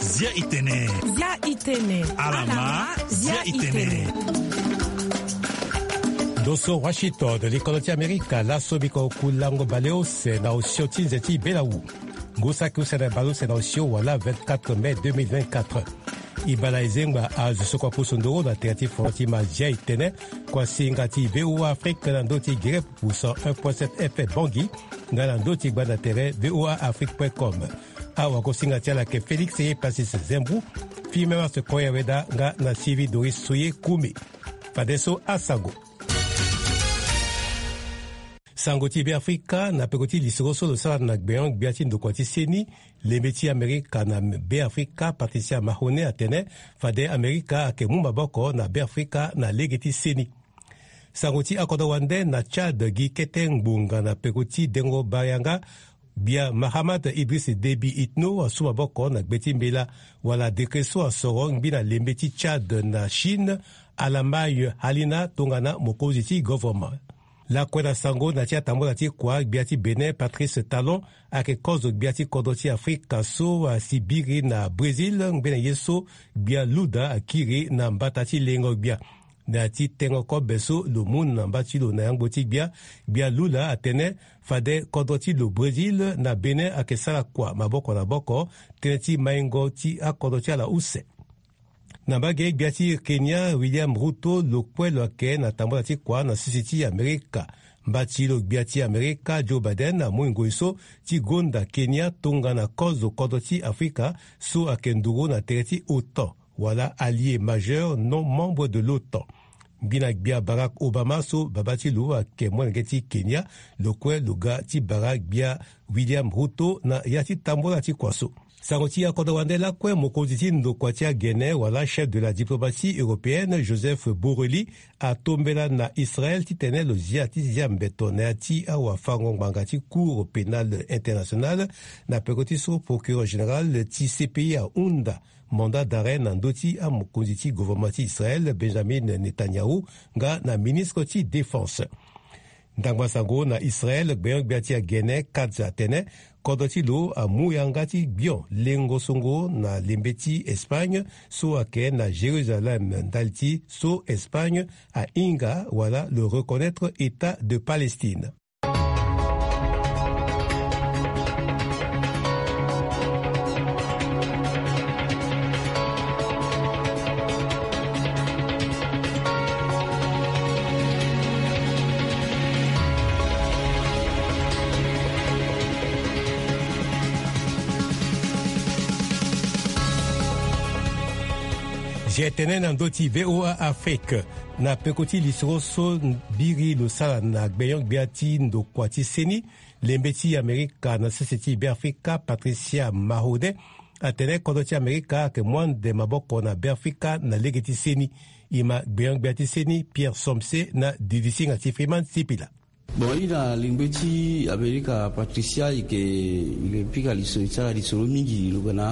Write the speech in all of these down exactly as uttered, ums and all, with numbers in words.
Zia itene. Zia itene. Alama. Zia itene. Ndo so Washington, likolo ti Amerika, laso biko kulango baleuse na osio ti nze ti belawu. Ngu saki use na baleuse na osio wala vingt-quatre mai deux mille vingt-quatre. E bala e zengba azo so kua pusu nduru na tere ti foro ti ma zia itene, kua singa ti VOA Afrique na ndö ti gere pusu un point sept F M Bangui, nga na ndö ti gbanda tere V O A Afrique point com. Awagosinga ti ala ayeke Félix Ye Pacis Zembou, Fimemas Koya Weda nga na Sylvie Doris Soye Koumi. Fadeso asango. Sango ti Beafrika, na peko ti lisoro so lo sara na gbenyo-gbia ti ndokua ti seni, lembe ti Amerika na Beafrika, Patricia Mahone, atene fade Amerika ayeke mu maboko na Beafrika na lege ti seni. Sango ti akodro wande, na Tchad, gi kete ngbonga na peko ti dengo barianga gbia Mahamat Idriss Déby Itno asu maboko na gbe ti mbela wala décret so asoro ngbi na lembe ti Tchad na Chine, Alamai Halina, tongana mokonzi ti govoroma. Lakue na sango, na ti atambula ti kua, gbia ti Bénin Patrice Talon ayeke kozo gbia ti kodro ti Afrika so asi biri na Brésil ngbene ye so gbia Luda akiri na mbata ti lengo gbia. Na ya ti tengo kobe so lo mu na mba ti lo na yangbo ti gbia, gbia Lula atene fade kodro ti lo Brésil na Bénin ayeke sara kua maboko na maboko tënë ti maingo ti akodro ti ala use. Na mbage, gbia ti Kenya William Ruto lo kue lo yeke na tambula ti kua na sese ti Amerika. Mba ti lo gbia ti Amerika Joe Biden amui ngoi so ti gonda Kenya tongana kozo kodro ti Afrika so ayeke nduru na tere ti OTAN wala allié majeur non membre de l'OTAN. Ngbina gbia Barack Obama so baba ti lo ayeke molenge ti Kenya, lo kue lo ga ti bara gbia William Ruto na ya ti tambula ti kua so. Sango ti akodro wande lakue, mokonzi ti ndokua ti agene wala chef de la diplomatie européenne Joseph Borrelli atombela na Israël titene lo zia ti zia mbeto na ya ti awafango ngbanga ti Cour pénale internationale na peko ti so procureur général ti C P I ahunda mandat d'arrêt na ndö ti amokonzi ti gouvernement ti Israël Benjamin Netanyahu nga na ministre ti défense. Ndangba sango na Israël, gbenyo-gbia ti agene Katz atene kodro ti lo amu yanga ti gbion lengo songo na lembe ti Espagne so ayeke na Jérusalem ndali ti so Espagne ahinga wala lo reconnaître État de Palestine. Zia tënë na ndö ti V O A Afrique. Na peko ti lisoro so biri lo sara na gbenyo-gbia ti ndokua ti seni, lembe ti Amerika na sese ti Beafrika, Patricia Mahone, atene kodro ti Amerika ayeke mu ande maboko na Beafrika na lege ti seni. E ma gbenyo-gbia ti seni, Pierre Somse, na didisinga ti Freeman Sipila. Bon, i na lingbe ti Amerika, Patricia, i ke, i ke pika liso, i sara lisoro mingi, lo ga na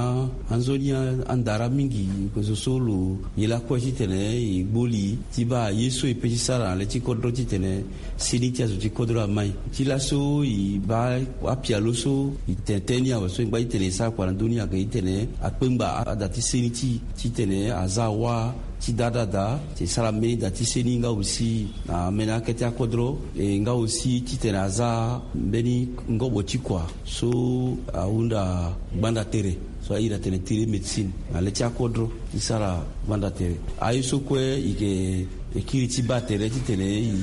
anzoni a, andara mingi, i ke zo so lo ye lakue titene i gboli ti baa ye so e pe ti sara na le ti kodro titene seni ti azo ti kodro amai. Ti laso i baa apialo so i tene tënë ni awe so i ngba titene i sara kua na ndö ni ayeke titene akpengba ada ti seni ti, titene a za wâ ti da da da, ti sara mbeni da ti seni nga aussi na mene akete akodro, e nga aussi titene a za mbeni ngobo ti kua so ahunda gbanda tere, so airi atene télémédecine, na le ti akodro ti sara gbanda tere. Aye so kue i ke, e kiri ti baa tere titene i,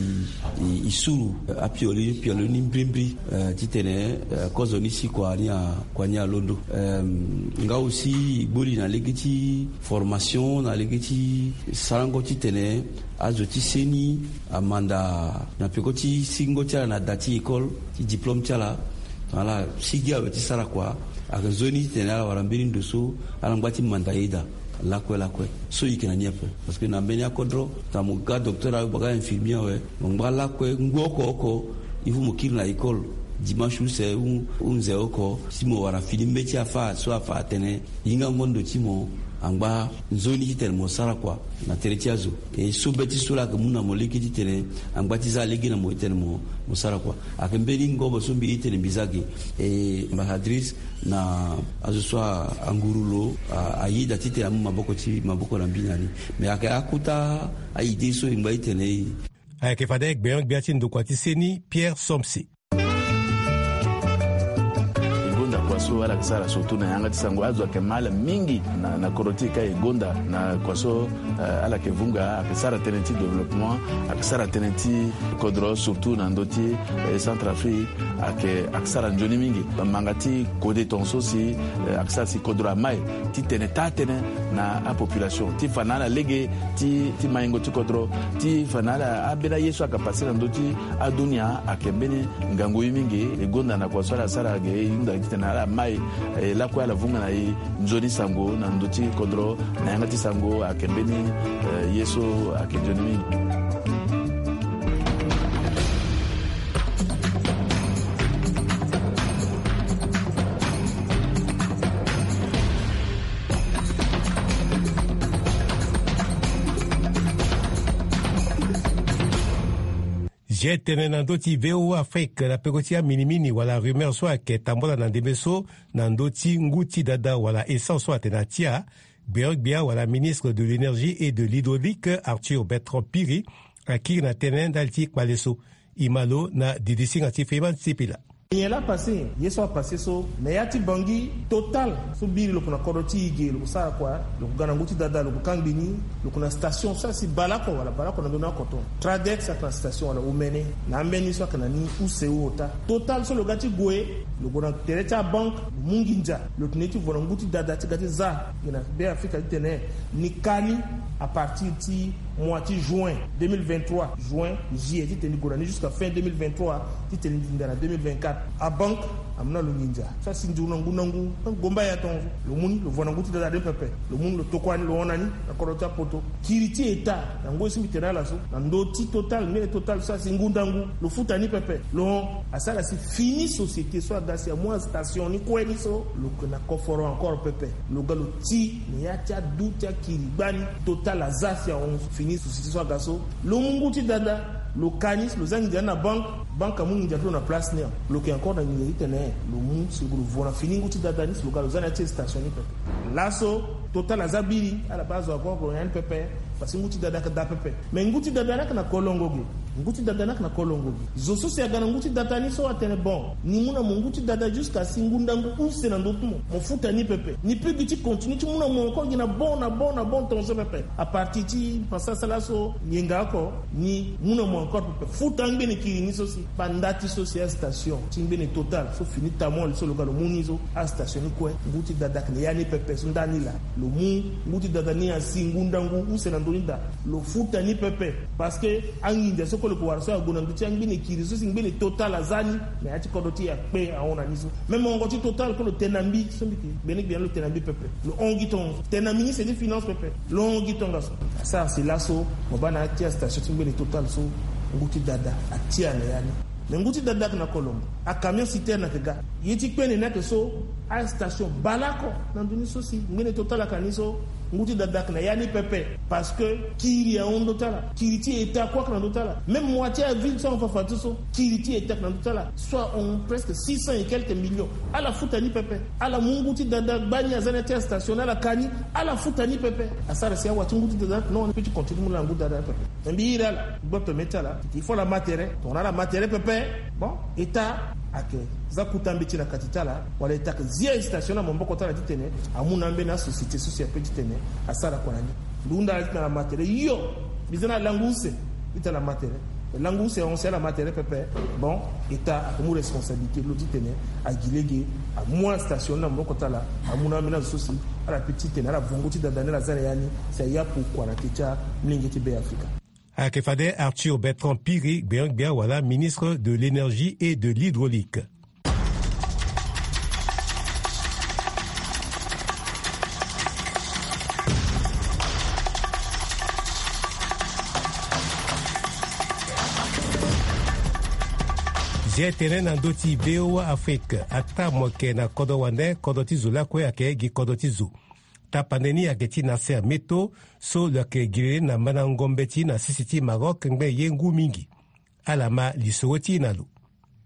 i, i suru, eh, apialo, pialo ni mbirimbiri, eh, titene, eh, kozo ni si kua ni a, kua ni alondo. Em, nga aussi i gboli na lege ti formation, na lege ti sarango titene azo ti seni amanda na peko ti singo ti ala na da ti école, ti diplôme ti ala. Ala sigi awe ti sara kua, ayeke nzoni titene ala wara mbeni ndo so ala ngba ti manda yeda lakue lakue. So i yeke na ni ape. Parce que na mbeni akodro, ta mo ga docteur awe, mo ga infirmier awe, mo ngba lakue ngu oko oko, il faut mo kiri na école. Dimanche use, u- hunze oko, si mo wara fini mbeti afa so afa atene hingango ndo ti mo angba nzoni titene mo sara kua na tere ti azo. E so be ti so laa ayeke mu na mo lege titene angba ti za lege na mo titene mo, mo sara kua. Ayeke mbeni ngobo so mbi ye titene mbi za ge. E ambassadrice na azo so a- anguru lo a- ayeda titene amu maboko ti maboko na mbi na ni. Me ayeke akota a-idée so e ngba titene e. Ayeke fade gbenyo-gbia ti ndokua ti seni Pierre Somse. E gonda kua so ala yeke sara surtout na yanga ti sango. Azo ayeke mal mingi na, na kodro ti e ka e gonda na kua so, eh, ala yeke vunga, ayeke sara tënë ti développement, ayeke sara tënë ti kodro surtout na ndö ti, eh, Centrafrique, ayeke, ayeke sara nzoni mingi. Manga ti kode tongaso si, eh, ayeke sara si kodro amai titene taa tënë na apopulation ti fa na ala lege ti, ti maingo ti kodro, ti fa na ala ambeni aye so ayeke pase na ndö ti adunia ayeke mbeni ngangu ye mingi. E gonda na kua so ala sara ge, e hunda titene ala mai, eh, lakue ala vunga na e nzoni sango na ndö ti kodro, na yanga ti sango ayeke mbeni, eh, ye so ayeke nzoni mingi. Zia tënë na ndö ti V O A Afrique na peko ti aminimini wala rumeur so ayeke tambula na ndembe so na ndö ti ngu ti dada wala essence so atene atia. Gbeogbia wala ministre de l'énergie et de l'hydraulique Arthur Bertrand Piri akiri na tënë ndali ti kpale so. E ma lo na didisinga ti Freeman Sipila. Nyen laa apase? Ye so apase so na ya ti Bangui, Total so biri lo yeke na kodro ti e ge, lo yeke sara kua? Lo yeke ga na ngu ti dada, lo yeke kangbi ni. Lo yeke na station so asi baleoko wala baleoko na ndoni oko ton. Tradex ayeke na station wala omene na ambeni so ayeke na ni use ota. Total so lo ga ti gue, lo gue na tere ti abanke, lo mu nginza, lo tene ti vo na ngu ti dada ti ga ti za gi na Beafrika titene ni ka ni à partir ti mois ti juin deux mille vingt-trois, juin, juillet, titene ni gue na ni jusqu'à fin deux mille vingt-trois, titene ni nginza na deux mille vingt-quatre. Abanke amu na lo nginza so asi nduru na ngu na ngu, gomba ya tongaso. Lo mu ni, lo vo na ngu ti dada ni pepe. Lo mu ni, lo tokua ni, lo hon na ni na kodro ti apoto. Kiri ti État na ngoi so mbi tene ala so na ndö ti Total, mbeni Total so asi ngu ndangu, lo futa ni pepe. Lo hon, asara si fini société so aga si amu astation ni kue ni so, lo yeke na koforo encore pepe. Lo ga lo ti na ya ti adu ti akiri gbani. Total aza si ahon fini société so aga so. Lo mu ngu ti dada, lo ka ni, lo za nginza ni na banque, banque amu nginza ti lo na place ni. Lo yeke encore na nginza titene lo mu si lo gue lo vo na fini ngu ti dada ni si lo ga lo za na ya ti station ni pepe. Laso Total aza biri, ala baa azo ague oko na ya ni pepe. Parce que ngu ti dada ayeke daa pepe. Mais ngu ti dada ni ayeke na kolongo ge. Ngu ti dada ni ayeke na kolongo ge. Zo so si aga na ngu ti dada ni so atene bon, ni mu na mo ngu ti dada jusqu'à si ngu ndangu use na ndö ti mo, mo futa ni pepe. Ni peut gi ti continuer ti mu na mo encore gi na bon, na bon, na bon tongaso pepe. À partir ti pasa sala so yenga oko, ni mu na mo encore pepe. Futa angbene kiri ni so si, banda ti so si astation ti ngbene Total so fini tamol so lo ga lo mu ni so, astation ni kue, ngu ti dada ayeke na ya ni pepe so ndani laa. Lo mu ngu ti dada ni asi ngu ndangu use na ndö ni daa. Lo futa ni pepe. Parce que anginza so kue lo yeke wara so ague na ndö ti angbene kiri so si ngbene Total aza ni na ya ti kodro ti e akpe ahon na ni so. Même hongo ti Total kue lo tene na mbi so mbi yeke gbene gbia ni, lo tene na mbi pepe. Lo hon gi tongaso. Tene na ministre ti finance pepe. Lo hon gi tongaso. Asara si laso mo baa na ya ti astation ti ngbene Total so ngu ti dada atia na ya ni. Mais ngu ti dada ayeke na kolongo. Acamion citerne ayeke ga. Ye ti kpene ni ayeke so, astation baleoko na ndö ni so si ngbene Total ayeke na ni so, ngu ti dada ayeke na ya ni pepe. Parce que kiri ahon ndö ti ala. Kiri ti État kue ayeke na ndö ti ala. Même mois ti avil so ahon fafa ti so, kiri ti État ayeke na ndö ti ala. So ahon presque six cents et quelques millions. Ala futa ni pepe. Ala mu ngu ti dada gbani aza na ya ti astation ni, ala ka ni, ala futa ni pepe. Asara si awa ti ngu ti dada ni ayeke na ni, peut ti continue ti mu laa na ngu ti dada ni pepe. Na mbi iri ala, gboto mê ti ala, il faut ala ma tere, tongana ala ma tere pepe. Bon, État ayeke za kota mbeti na kati ti ala, wala État ayeke zia station na maboko ti ala titene amu na ambeni asociété so si ape titene asara kua na ni. Mbi hunda ala titene ala ma tere, yo, mbi za na langu use, mbi tene ala ma tere. Langu use ahon si ala ma tere pepe. Bon, État ayeke mu responsabilité ti lo titene agi lege amu astation ni na maboko ti ala, amu na ambeni azo so si ala peut titene ala vo ngu ti dada ni ala za na ya ni, si aya pokua na te ti amolenge ti Beafrika. Ayeke fade Arthur Bertrand Piri, gbenyo-gbia wala ministre de l'énergie et de l'hydraulique. Ye tene na ndö ti V O A Afrique, ataa mo yeke na kodro wande, kodro ti zo lakue ayeke gi kodro ti zo. Tapande ni ayeke ti Nasser Meto, so lo yeke giriri na mandango mbeti na sese ti Maroc ngbene ye ngu mingi. Ala ma lisoro ti e na lo.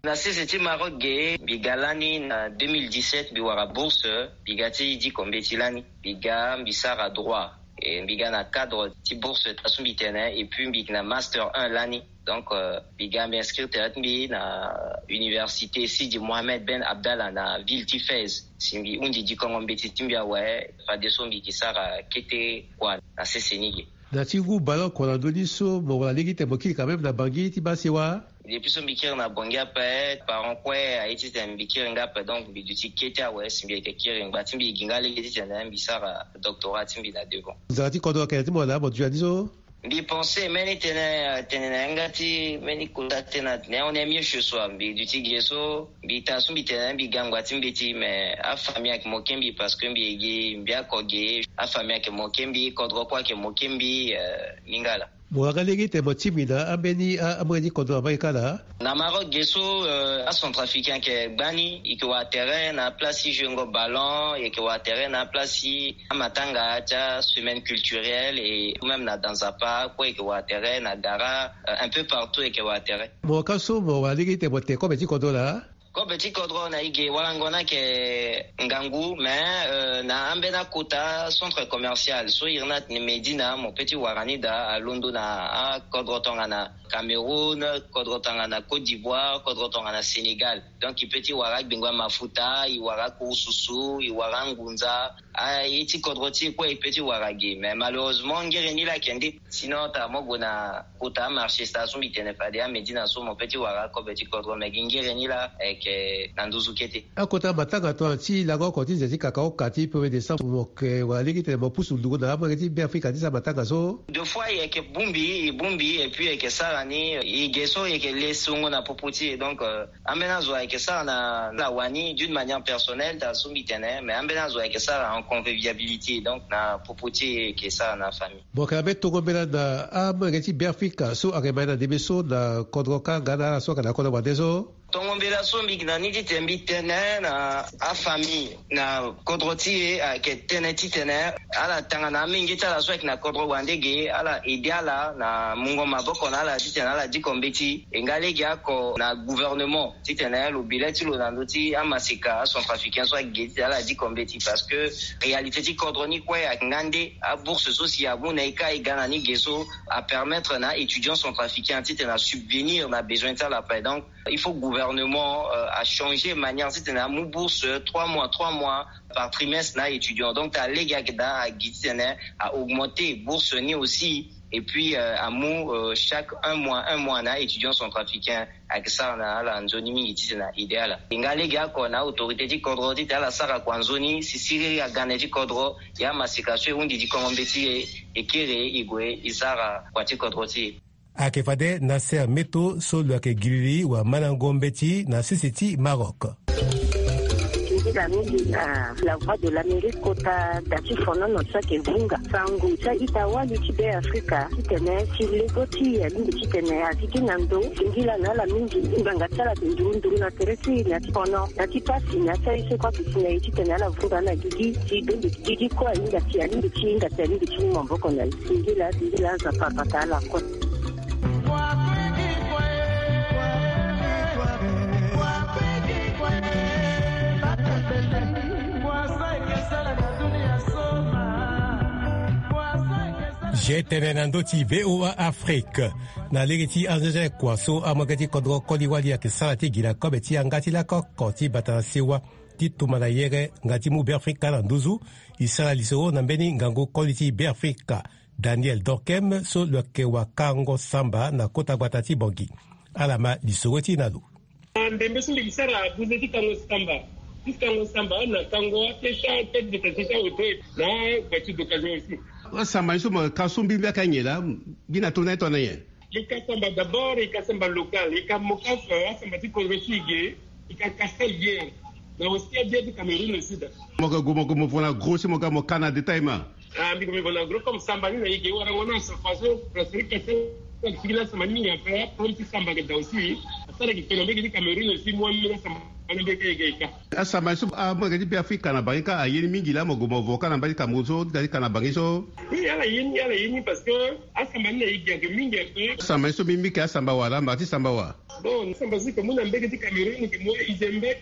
Na sese ti Maroc ge, mbi ga lani na deux mille dix-sept, mbi wara bourse, mbi ga ti diko mbeti lani. Mbi ga, mbi sara droit. E mbi ga na cadre ti bourse, taa so mbi tene, et puis mbi yeke na master un lani. Donc, euh, mbi ga, mbi inscrire tere ti mbi na université Sidi Mohamed Ben Abdallah na ville ti Fès. Si mbi hundi dikongo mbeti ti mbi awe, fadeso mbi yeke sara kete kua na sese ni ge. Na ti ngu ballon kua na ndö ni so, mo wara lege ti tene mo kiri quand même na Bangui ti baa sewa? Depuis so mbi kiri na Bangui ape, parent kue aye ti tene mbi kiri nga ape, donc mbi duti kete awe si mbi yeke kiri. Ngba ti mbi e gi nga lege ti tene mbi sara doctorat ti mbi na devant. Nzara ti kodro ayeke na ya ti mo laa mo duti na ni so? Mbi pense mbeni tënë, tënë na yanga ti mbeni kota ti tënë atene on est mieux chez soi. Mbi duti ge so, mbi taa so mbi tene mbi ga ngba ti mbeti, mais afamille ayeke moke mbi parce que mbi e gi mbi oko ge. Afamille ayeke moke mbi, kodro kue ayeke moke mbi, euh, ni nga laa. Mo wara nga lege ti tene mo tingbi na ambeni a, amolenge ti kodro na mbage kâ laa? Na Maroc ge so, euh, acentrafricain ayeke gbani, e yeke wara tere na place ti jouengo ballon, e yeke wara tere na place ti amatanga ti asemaine culturelle, et même na Danzapa kue e yeke wara tere, na Gara, euh, un peu partout e yeke wara tere. Mo ka so mo wara lege ti tene mo te kobe ti kodro laa? Kobe ti kodro na e ge, warango ni ayeke ngangu, mais, euh, na ambeni akota centre commercial so iri ni atene Médina, mo peut ti wara ni daa, alondo na akodro tongana Cameroun, kodro tongana Côte d'Ivoire, kodro tongana Sénégal. Donc e peut ti wara agbengo amafuta, e wara akurususu, e wara angunza. Aye ti kodro ti e kue e peut ti wara ge, mais malheureusement ngere ni laa ayeke nde. Sinon taa mo gue na kota amarché, taa so mbi tene fade aMédina so, mo peut ti wara akobe ti kodro, mais gi ngere ni laa ayeke na nduzu kete. Akota matanga tongana ti lango oko ti nze ti kakaoka ti premier décembre, mo yeke wara lege ti tene mo pusu nduru na amolenge ti Beafrika ti sara matanga so? Deux fois e yeke bongbi, e bongbi, et puis e yeke sara ni, e ge so e yeke le songo na popo ti e. Donc, euh, ambeni azo ayeke sara na, na wani d'une manière personnelle, taa so mbi tene, mais ambeni azo ayeke sara en convivialité, donc na popo ti e, e yeke sara na famille. Mo yeke na mbeni tongo mbela na amolenge ti Beafrika so ayeke ma e na ndembe so na kodro kâ nga na ala so ayeke na kodro wande so? Tongo mbela so mbi yeke na ni ti tene mbi tene na afamille na kodro ti e ayeke tënë ti tene ala tanga na amenge ti ala so ayeke na kodro wande ge, ala aidé ala na mungo maboko na ala ti tene ala diko mbeti. E nga lege oko na gouvernement ti tene lo bi le ti lo na ndö ti amaseka acentrafricain so ayeke ge ti tene ala diko mbeti, parce que réalité ti kodro ni kue ayeke nga nde. Abourse so si amu na e kâ e ga na ni ge so, apermettre na aétudiant centrafricain ti tene asubvenir na besoin ti ala ape. Donc il faut gouvernement, euh, achanger manière ti tene amu bourse trois mois, trois mois par trimestre na aétudiant. Donc taa lege ayeke daa agi ti tene a augmenter bourse ni aussi. Et puis, euh, amu, euh, chaque un mois, un mois na aétudiant centrafricain ayeke sara na ala nzoni mingi ti tene a aidé ala. E nga lege oko na autorité ti kodro ti tene ala sara kua nzoni si siriri aga na e ti kodro. Ya amaseka so e hundi dikongo mbeti e, e kiri e gue e sara kua ti kodro ti e. Ayeke fade Nasser Meto so lo yeke giriri wala mandango mbeti na sese ti Maroc. Singila mingi na La Voix de l'Amérique kota da ti fonono so ayeke vunga sango ti a-ita wali ti Beafrika ti tene ti lego ti e alingbi ti tene azi gi na ndo. Singila na ala mingi. Ngbanga ti ala ayeke nduru nduru na tere ti e na ti fono, na ti pasi, na ti aye so e kue aduti na e ti tene ala vunga na gigi ti dondo. Gigi kue ahinga ti e, alingbi ti hinga ti e, alingbi ti mu maboko na e. Singila, singila, Nzapa abata ala kue. G T N na ndö ti V O A Afrique. Na lege ti anzenze kua so amolenge ti kodro koli wali ayeke sara ti gi na kobe ti yanga ti lakoko ti bata na sewa ti tumba na yere nga ti mu Beafrika na nduzu. E sara lisoro na mbeni ngangu koli ti Beafrika, Daniel Dorkem, so lo yeke wakango samba na kota gbata ti Bangui. Ala ma lisoro ti e na lo. Ndembe so mbi sara buze ti kango samba, ti kango samba na kango atesha, tête de tête, atesha hotel na voiture d'occasion aussi. Asamba ni so mo ka so mbi mbi aka nyen laa, gi na tongana e tongana nyen? E ka samba d'abord, e ka samba local, e ka mo ka, euh, asamba ti kodro ti e ge, e ka kasa ye. Na aussi abia ti Cameroun aussi da. Mo ka gue mo gue mo vo na gros si mo ka mo ka na détail ma. Ah, mbi gue mbi vo na gros comme samba ni na e ge warango na sa façon presque kasa. Siki na samba ni mingi ape, ape ti samba ke da aussi. Asara ki kena mbeke ti Cameroun aussi, moi mena samba na mbeke eke eka. Asamba so amu ayeke ti Be Afrika na bangi ka aye ni mingi laa, mo gue mo vo ka na mbage ti Cameroun so ti da ti ka na bangi so. Oui, ala ye ni, ala ye ni parce que asamba ni na e gi ayeke mingi ape. Asamba ni so mbi mbi ke asamba wa laa, mba ti samba wa. Bon, samba so ke mu na mbege ti Cameroun ke mu Izembek,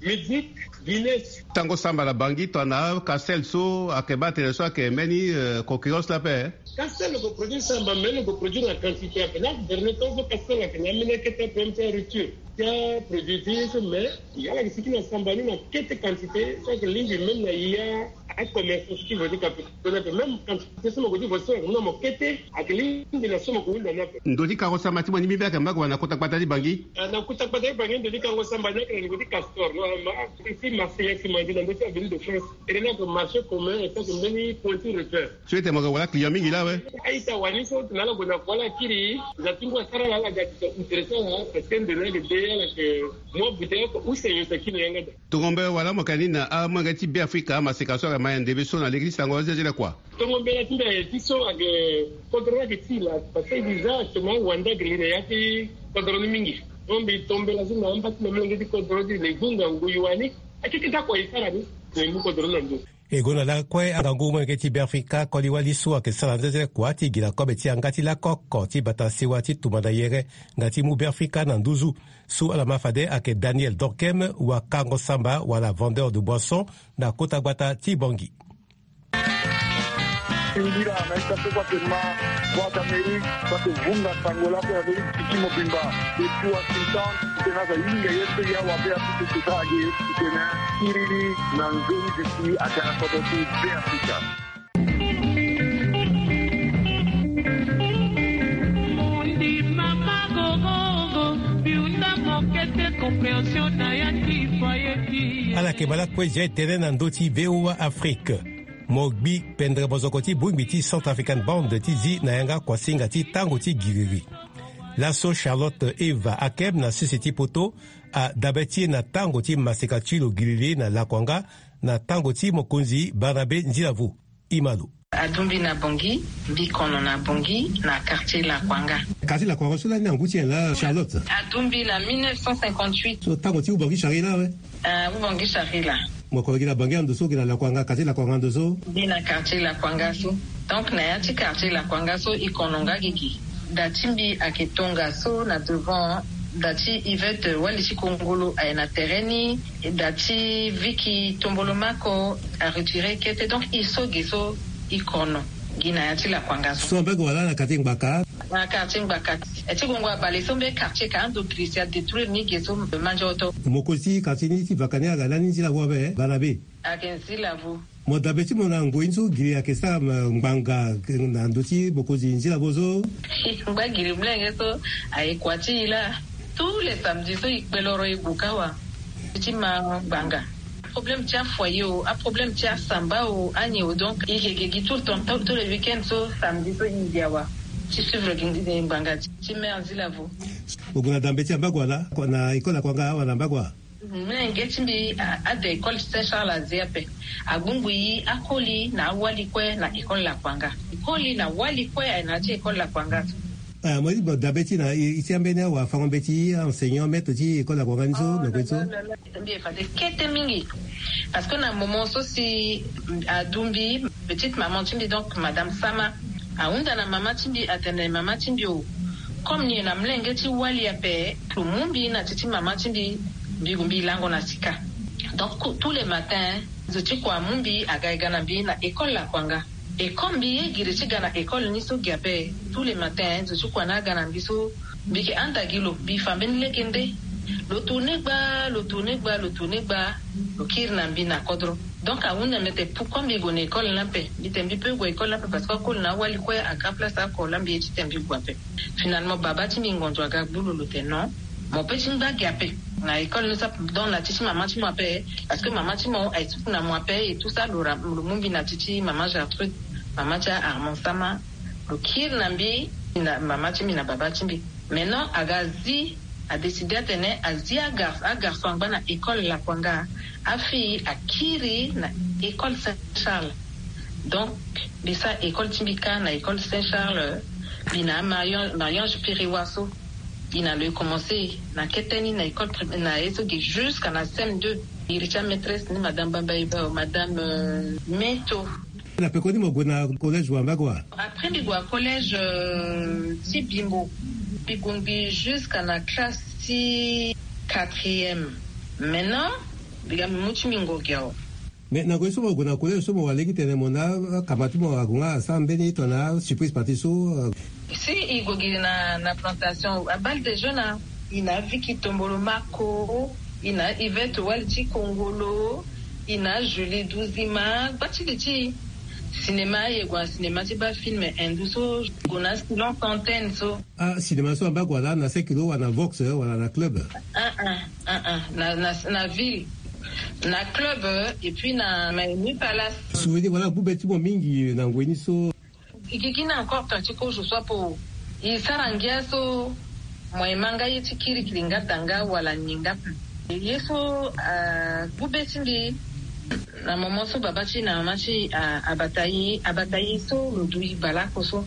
Mizik, Guinness. Tango samba na bangi tongana Castel so ayeke baa tene so ayeke mbeni concurrence la ape. Castel lo ke produire samba mais lo ke produire na quantité ape. Na dernier temps so Castel ayeke na ambeni akete ape ti rupture ti aproduit ti ye so mais ala yeke siki na samba ni na kete quantité so ayeke lingbi même na ya acommerçant so ti vo ti ka pe. Même quantité so mo ke ti vo so ayeke mu na mo kete. Ayeke lingbi na so mo ke hunda ni ape. Ndo ti kango samba ti mo ni mbi mbi ayeke mba gue wa na kota gbata ti bangi. Na kota gbata ti bangi ndo ti kango samba ni ayeke na niveau ti Castor normalement. Ti Marseille si mo yeke na ndo ti avenue de France. Ere ni ayeke marché commun et ayeke mbeni point ti repère. So ete mo yeke wala client mingi laa awe. A-ita wani so tena ala gue na kua ala kiri. Za ti ngu asara ala ala ga ti intéressant parce que nde ni ayeke de ala yeke. Mo bute oko use yo sa kiri yanga da. Tongombe wala mo yeke ni na amolenge ti Be Afrika amaseka so ayeke ma yende be so na lege ti sango azia ti le kua. Tongombe na ti mbi aye ti so ayeke kodro ni ayeke ti la parce que déjà actuellement wande ayeke li na ya ti kodro ni mingi. Donc mbi tombela so na amba ti na molenge ti kodro ti le gunga ngui wani. Akeke ti akua e sara ni. Na e mu kodro ni na ndo. E gue na lakue angangu molenge ti Be Afrika koli wali so ayeke sara nzenze kua ti gi na kobe ti yanga ti lakoko ti bata sewa ti tumba na yere nga ti mu Be Afrika na nduzu. So ala ma fade ayeke Daniel Dorkem, wakango samba wala vendeur de boisson na kota gbata ti Bangui. Singila na ita so kua tene ma Voix d'Amérique, kua tene vunga sango lako ya Amérique ti mobimba. Depuis Washington tena za hinga ye so ya wa Be Afrika ti sara ge ti tene kiriri na nzoni ti si aga na kodro ti Be Afrika. Ala yeke ma lakue zia e tene na ndö ti V O A Afrique. Mo gbi pendere mozoko ti bongbi ti Centrafrican Band ti zi na yanga kuasinga ti tango ti giriri. Laso Charlotte Eva Akem na sese ti poto adabe ti e na tango ti maseka ti lo giriri na lakuanga na tango ti mokonzi Barnabe Nzilavu. Imalo. Adumbi na Bangui, mbi kono na Bangui na quartier Lakuanga. Quartier Lakuanga so lani na ngu ti nyen la Charlotte? Adumbi na mille neuf cent cinquante-huit. So tango ti Ubangui Chari la awe? Ah, Ubangui Chari la. Mo kono gi na Bangui ando so gi na Lakuanga, quartier Lakuanga ando so? Gi na quartier Lakuanga so. Donc na ya ti quartier Lakuanga so e kono nga gigi. Da ti mbi ayeke tongaso na devant, da ti Yvette wali ti kongolo aye na tere ni. Da ti Vicky Tombolomako aretire kete, donc e so ge so e kono gi na ya ti Lakuanga so. So mbage wala na quartier Ngbaka? Na quartier Ngbaka. E ti gongo abale so mbe quartier ka ando grisi adétruire ni ge so manjoto. Mokonzi ti quartier ni ti Vakani aga lani Nzilavu abe Barnabe? Ayeke Nzilavu. Mo dabe ti mo na ngoi ni so giri ayeke sara ngbanga na ndö ti mokonzi Nzilavu so. Ngba giri molenge so aye kua ti e la. Tous les samedis so e kpe loro e gue ka wa ti ma ngbanga. Problème ti afoyer o, aproblème ti asamba o, anyen o, donc e yeke gi tout le temps, tous les week-ends so samedi so e gi awa ti suivre ngbanga ti mère Nzilavu. O gue na dambe ti ambagua la na école Lakuanga awa na ambagua? Mlenge ti mbi ade école Saint Charles aze ape. Agbungbu e akoli na awali kue na école Lakuanga. E koli na wali kue aye na ya ti école Lakuanga. Ah, mo ti bo dabe ti na e ti ambeni awa fango mbeti enseignant maître ti école Lakuanga ni so na kue so. Mbi e fade kete mingi. Parce que na moment so si adumbi petite maman ti mbi, donc madame Sama ahunda na mama ti mbi atene mama ti mbi o, comme ni e na mlenge ti wali ape, lo mu mbi na ti ti mama ti mbi, mbi lango na sika. Donc tous les matins zo ti kua amu mbi aga e ga na mbi na école Lakuanga. Et comme mbi ye giri ti ga na école ni so gi ape, tous les matins zo ti kua na aga na mbi so mbi yeke handa gi lo, mbi fa mbeni lege nde. Lo tourne gba, lo tourne gba, lo tourne gba, lo kiri na mbi na kodro. Donc ahunda mbi ete pourquoi mbi gue na école ni ape? Mbi tene mbi peut gue école ni ape parce que akoli na awali kue aga place oko la mbi ye ti tene mbi gue ape. Finalement baba ti mbi ngonzo aga gbu lo, lo tene non, mo peut ti ngba gi ape na école ni so ape, donc na ti ti mama ti mo ape. Parce que mama ti mo aye ti na mo ape et tout ça, lo ra, lo mu mbi na ti ti mama Gertrude, mama ti Armand Sama. Lo kiri na mbi, na mama ti mbi na baba ti mbi. Maintenant aga zi, adécide atene azi agar, agarçon angba na école Lakuanga. Afille akiri na école Saint Charles. Donc mbi sara école ti mbi kâ na école Saint Charles. Mbi na mariange piriwa so. Mbi na lo e commence na kete ni na école primaire na ye so gi jusqu'à na cm deux. Iri ti amaîtresse ni madame bamba eba madame meto. Na pekoni mo gue na collège wamba kua? Après mbi gue na collège ti bimbo. Mbi gue mbi jusqu'à na classe ti quatrième. Maintenant mbi ga mbi mu ti mbi ngorgi awa. Mais na ngoi so mo gue na collège so mo wara lege tene mo na akama ti mo ague nga asara mbeni tongana surprise partie so. Si i gue gi na na plantation abal de jeune a. I na viki tombolo mako, i na ivette wali ti kongolo, i na julie duzima gba ti li ti. Cinéma aye gue na cinéma ti baa film hindu so. Gue na silence antenne so. Ah cinéma so amba gue wala na cinq kilo wala na vox wala na club? Ah ah ah ah na na na ville. Na club. Et puis na maini palace. Souvenir wala gbu be ti mo mingi na ngoi ni so? Gigi na encore temps ti kozo so apo i sara ngia so. Mo e ma nga ye ti kirikiri nga da nga wala ni nga. Ye so agbu be ti mbi. Na moment so baba ti na mama ti abata ye abata ye so lo du i baleoko so.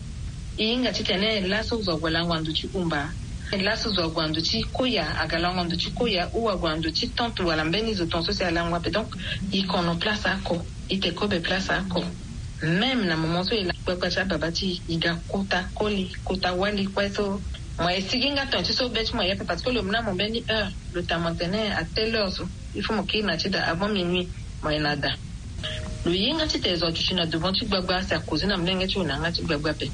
I hinga titene laso zo ague lango na ndo ti umba. Laso zo ague na ndo ti koya aga lango na ndo ti koya ou ague na ndo ti tente wala mbeni zo ton so si alango ape donc i kono place ako. I te kobe place ako. Même na moment so i la kpakpa ti ababa ti i ga kota koli kota wali kue so. Mo e sigi nga ton ti so be ti mo e ape parce que lo mu na mo mbeni heure. Lo ta mo tene à telle heure so il faut mo kiri na ti da avant minuit. Mo e na da. Lo ye nga ti te zo aduti na devant ti gbagba si akozi na molenge ti lo na yanga ti gbagba ape.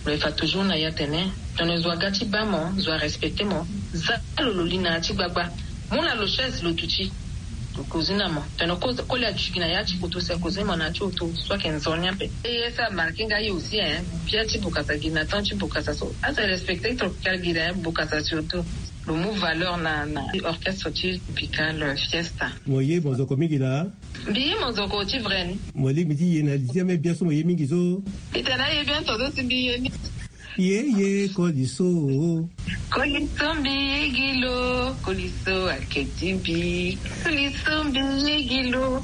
Lo e fa toujours na ya tene tene zo aga ti baa mo zo arespecte mo. Za lo lo li na ya ti gbagba. Mu na lo chaise lo duti. Lo kozi na mo tene koli aduti gi na ya ti koto si akozi mo na ya ti oto so ayeke nzoni ape. Eye so amarke nga ye aussi hein. Bia ti bokasa gi na temps ti bokasa so aza respecte tropical gi na ya bokasa surtout. Lo mu valeur na na orchestre ti tropical fiesta. Mo ye mo zo ko mingi laa. Mbi ye monzoko ti vrai ni. Mo lingbi ti ye na li ti ame biaso mo ye mingi so. Itene aye bien tonso si mbi ye ni. Ye ye koliso. Koliso mbi ye gi lo. Koliso ake ti mbi. Koliso mbi ye gi lo.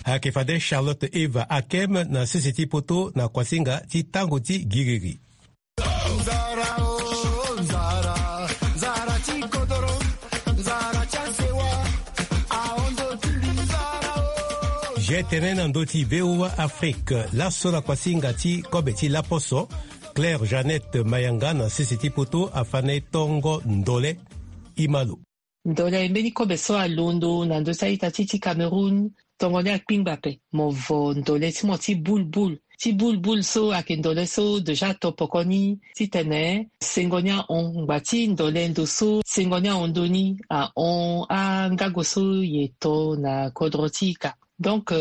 Ake fade charlotte eva akem na sese ti poto na kuasinga ti tango ti giriri. Nzara o nzara, nzara ti kodoro, nzara ti asewa. Aondo ti mbi nzara o. Ge tene na ndö ti voa afrique laso na kuasinga ti kobe ti laposo. Claire jeannette mayanga na sese ti poto afa na e tongo ndole. Imalo. Ndole mbeni kobe so alondo na ndö ti a-ita ti ti cameroun. Tongo ni akpingba ape. Mo vo ndole ti mo ti bulbul. Ti bulbul so ayeke ndole so deja ato poko ni titene sengo ni ahon ngba ti ndole ndo so sengo ni ahon ndo ni ahon angago so ye to na kodro ti ika. Donc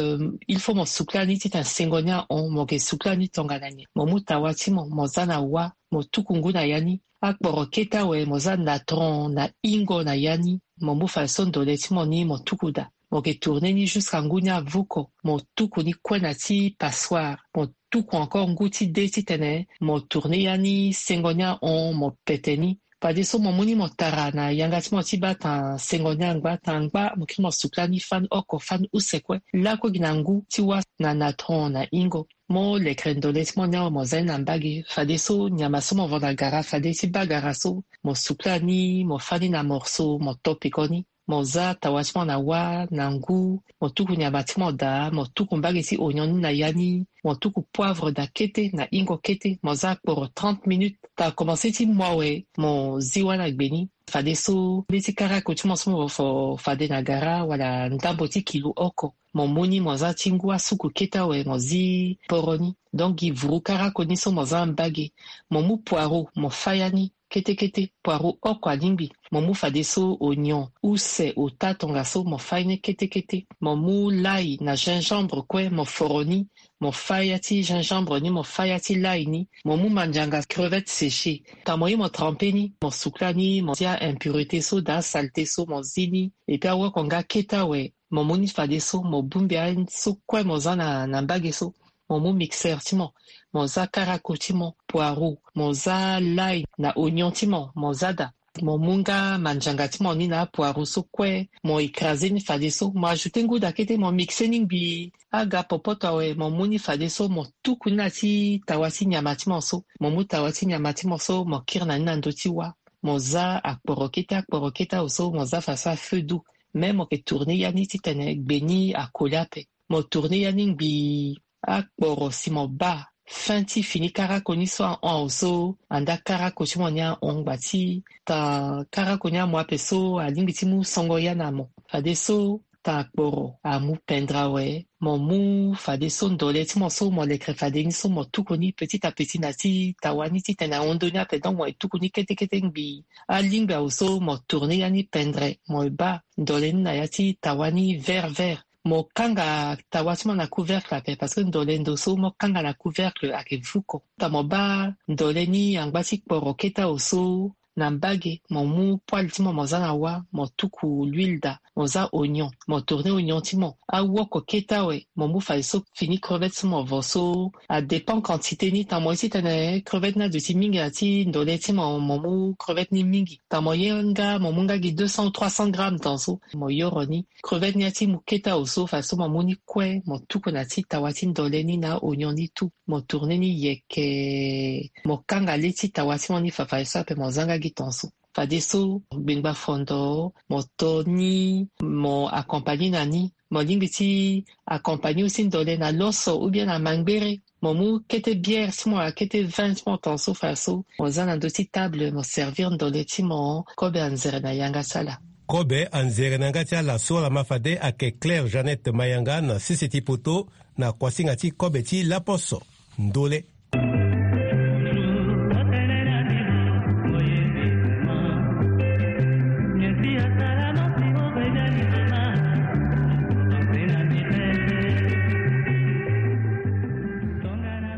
il faut mo sukla ni titene sengo ni ahon mo yeke sukla ni tongana nyen? Mo mu tawa ti mo mo za na wa. Mo tuku ngu na ya ni. Akporo kete awe mo za natron na ingo na ya ni. Mo mu fade so ndole ti mo ni mo tuku daa. Mo yeke tourne ni jusqu'à ngu ni avuko. Mo tuku ni kue na ti passoire. Mo tuku encore ngu ti de titene mo tourne ya ni sengo ni ahon mo pete ni. Fadeso mo mu ni mo tara na yanga ti mo ti baa tanga sengo ni angba tanga angba mo kiri mo sukla ni fani oko fani use kue. Lakue gi na ngu ti wa na natron na ingo. Mo lekere ndole ti mo ni awe mo za ni na mbage fadeso nyama so mo vo na gara fade ti baa gara so. Mo sukla ni mo fani na morso mo to peko ni. Mo za tawa ti mo na wa na ngu. Mo tuku nyama ti mo daa mo tuku mbage ti ognon ni na ya ni. Mo tuku poivre daa kete na ingo kete mo za kporo trente minutes. Taa komanse ti mo awe mo zi wa na gbe ni. Fadeso mbeti karako ti mo so mo vo fade na gara wala ndambo ti kilo oko. Mo mu ni mo za ti ngu asuku kete awe mo zi poro ni. Donc gi vuru karako ni so mo za mbage. Mo mu poireau mo fa ya ni. Kete kete poireau oko alingbi. Mo mu fadeso ognon use ota tongaso mo fa ye ni kete kete. Mo mu lai na gingembre kue mo foro ni. Mo fa ya ti gingembre ni mo fa ya ti lai ni. Mo mu mandianga crevette séchée. Taa mo ye mo trempe ni mo sukla ni mo zi aimpurité so daa asalte so mo zi ni. Epui awoko nga kete awe. Mo mu ni fadeso mo bongbi aye so kue mo za na na mbage so. Mo mu mixeur ti mo. Mo za karako ti mo poireau mo za lai na ognon ti mo mo za daa. Mo mu nga manjanga ti mo ni na apoireau so kue, mo écrase ni fadeso, mo ajoute nguda kete, mo mixe ni ngbii. Aga popoto awe, mo mu ni fadeso, mo tuku ni na ti tawa ti nyama ti mo so. Mo mu tawa ti nyama ti mo so, mo kiri na ni na ndö ti wâ. Mo za akporo kete, akporo kete awe so mo za fadeso à feu doux. Me mo yeke tourner ya ni titene gbe ni akoli ape. Mo tourner ya ni ngbii. Akporo si mo baa fin ti fini karako ni so ahon awe so, anda karako ti mo ni ahon ngba ti ta karako ni amu ape so alingbi ti mu songo ya na mo. Fadeso ta akporo amu pendre awe, mo mu fadeso ndole ti mo so mo lekere fade ni so mo tuku ni petit à petit na ti tawa ni titene ahon ndö ni ape. Donc mo e tuku ni kete kete ngbii. Alingbi awe so mo tourner ya ni pendre, mo e baa ndole ni na ya ti tawa ni vert vert. Mo kanga tawa ti mo na couvercle ape, parce que ndole ndo so mo kanga na couvercle ayeke vuko. Ta mo baa ndole ni angba ti kporo kete awe so na mbage, mo mu poêle ti mo, mo za na wâ, mo tuku l'huile daa, mo za oignon, mo tourner oignon ti mo. Awoko kete awe, mo mu fadeso fini crevette ti mo vo so, adépend quantité ni. Ta mo ye titene crevette ni aduti mingi na ti ndole ti mo, mo mu crevette ni mingi. Ta mo ye nga, mo mu nga gi deux cents ou trois cents grammes tan so, mo yoro ni. Crevette ni ya ti mu kete awe so, fadeso mo mu ni kue, mo tuku na ti tawa ti ndole ni na oignon ni tout. Mo tourner ni yeke, mo kanga le ti tawa ti mo ni fa, fadeso ape mo za nga gi tan so. Fadeso gbengba fondo, mo to ni, mo accompagner na ni. Mo lingbi ti accompagner aussi ndole na loso ou bien na mangbere. Mo mu kete bière ti mo, akete vin ti mo tan so, fadeso mo za na ndö ti table, mo servir ndole ti mo. Kobe anzere na yanga ti ala. Kobe anzere na yanga ti ala so ala ma fade ayeke Claire Jeannette Mayanga na sese ti poto, na kuasinga ti kobe ti laposo. Ndole.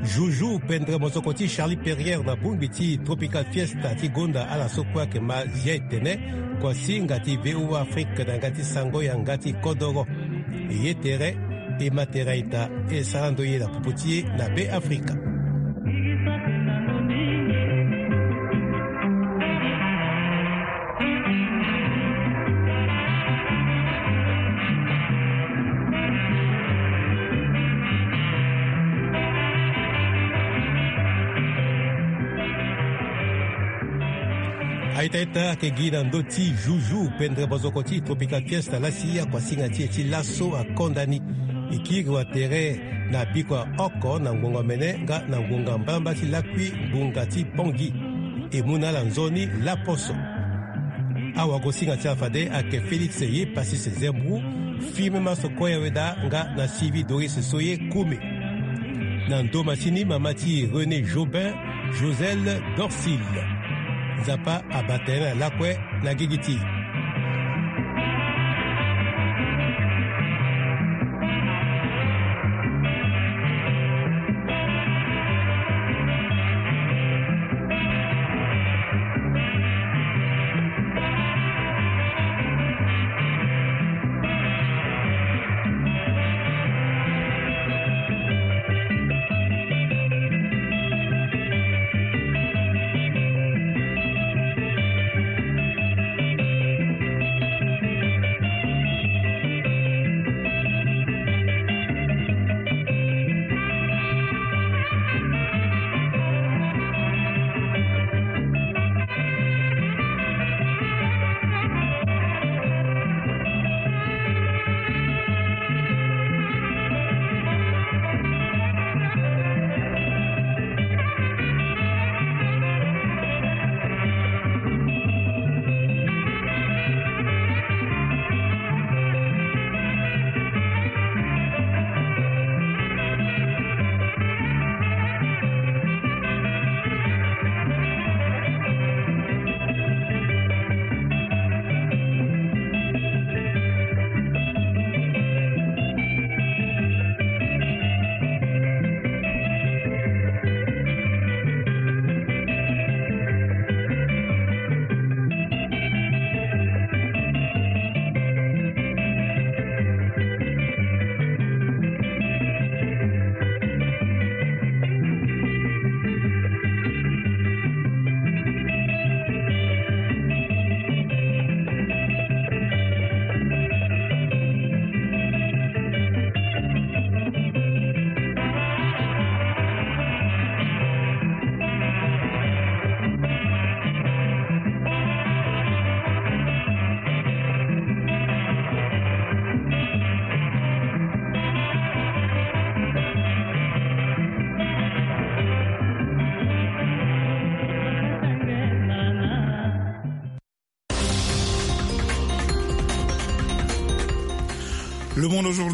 Joujou pendre mozoko ti Charlie Perrier na bongbi ti Tropical Fiesta ti gonda ala so kue ayeke ma zia etene. Kuasinga ti V O A Afrique na yanga ti sango yanga ti kodoro. E ye tere, e ma tere aita, e sara ndo ye na popo ti e na Be Afrika. Aita ita ayeke gi na ndö ti Joujou pendre bozoko ti Tropical Fiesta lasi akuasinga ti e ti laso akonda ni. E kiri watere na bikua oko na ngonga omene nga na ngonga mbalambala ti lakui ngonga ti Pongi. E mu na ala nzoni laposo. Awagosinga ti ala fade ayeke Félix Ye Passis Zembou, Firmin Maso Koya Weda nga na Sylvie Doris Soye Koume. Na ndoma ti ni mama ti René Jobin, Joselle Dorcil. Nzapa abata tene na lakue na gigi ti e. Le monde aujourd'hui.